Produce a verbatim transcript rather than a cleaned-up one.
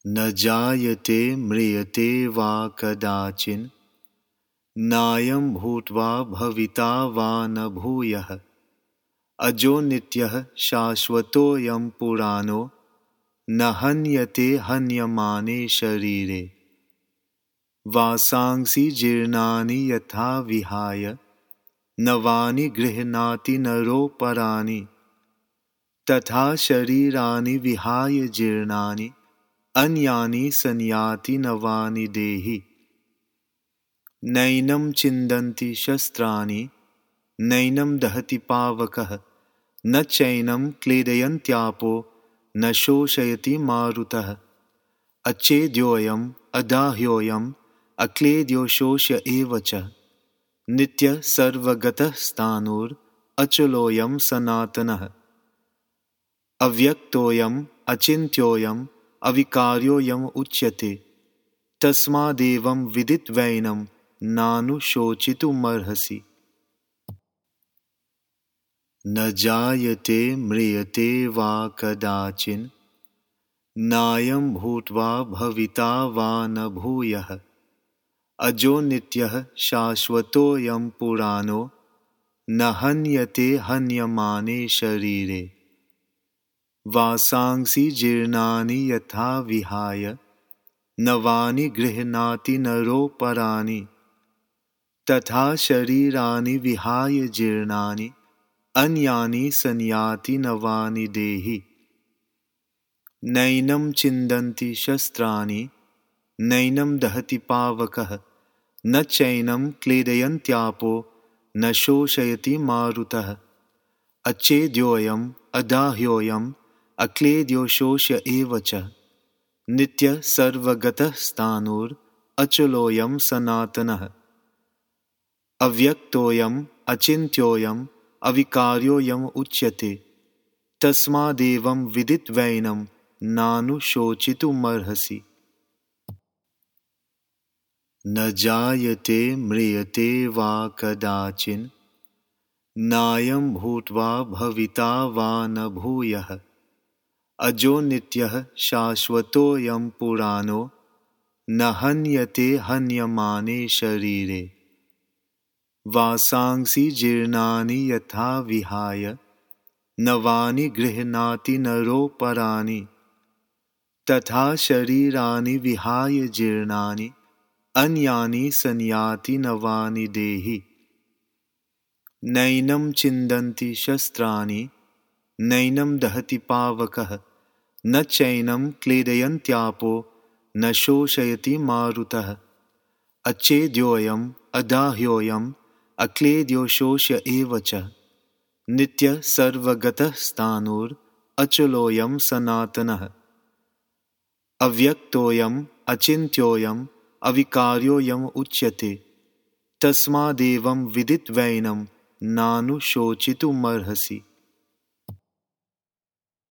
न जायते म्रियते वा कदाचिन् नायं भूत्वा भविता वा न भूयः अजो नित्यः शाश्वतोऽयं पुराणो न हन्यते हन्यमाने शरीरे वासांसि जीर्णानि यथा विहाय नवानि गृह्णाति नरोपराणि तथा शरीराणि विहाय जीर्णानि अन्यानि संयाति नवानि देहि नैनं छिन्दन्ति शस्त्राणि नैनं दहति पावकः न चैनं क्लेदयन्त्यापो न शोषयति मारुतः अच्छेद्योऽयम् अदाह्योऽयम् अक्लेद्यो शोष्य एव च नित्यः सर्वगतः स्थाणुर् अचलोऽयं सनातनः अव्यक्तोऽयम् अचिन्त्योऽयम् अविकार्योऽयम् उच्यते तस्मादेवं विदित्वैनं नानुशोचितुमर्हसि न जायते म्रियते वा कदाचिन् नायं भूत्वा भविता वा न भूयः अजो नित्यः शाश्वतोऽयं पुराणो न हन्यते हन्यमाने शरीरे वासांसि जीर्णानि यथा विहाय नवानि गृह्णाति नरोपराणि तथा शरीराणि विहाय जीर्णानि अन्यानि संयाति नवानि देहि नैनं छिन्दन्ति शस्त्राणि नैनं दहति पावकः न चैनं क्लेदयन्त्यापो न शोषयति मारुतः अच्छेद्योऽयम् अदाह्योऽयम् अक्लेद्यो शोष्य एव च नित्यः सर्वगतः स्थाणुर् अचलोऽयं सनातनः अव्यक्तोऽयम् अचिन्त्योऽयम् अविकार्योऽयम् उच्यते तस्मादेवं विदित्वैनं नानुशोचितुमर्हसि न जायते म्रियते वा कदाचिन् नायं भूत्वा भविता वा न भूयः अजो नित्यः शाश्वतोऽयं पुराणो न हन्यते हन्यमाने शरीरे वासांसि जीर्णानि यथा विहाय नवानि गृह्णाति नरोपराणि तथा शरीराणि विहाय जीर्णानि अन्यानि संयाति नवानि देहि नैनं छिन्दन्ति शस्त्राणि नैनं दहति पावकः न चैनं क्लेदयन्त्यापो न शोषयति मारुतः अच्छेद्योऽयम् अदाह्योऽयम् अक्लेद्यो शोष्य एव च नित्यः सर्वगतः स्थाणुर् अचलोऽयं सनातनः अव्यक्तोऽयम् अचिन्त्योऽयम् अविकार्योऽयम् उच्यते तस्मादेवं विदित्वैनं नानुशोचितुमर्हसि।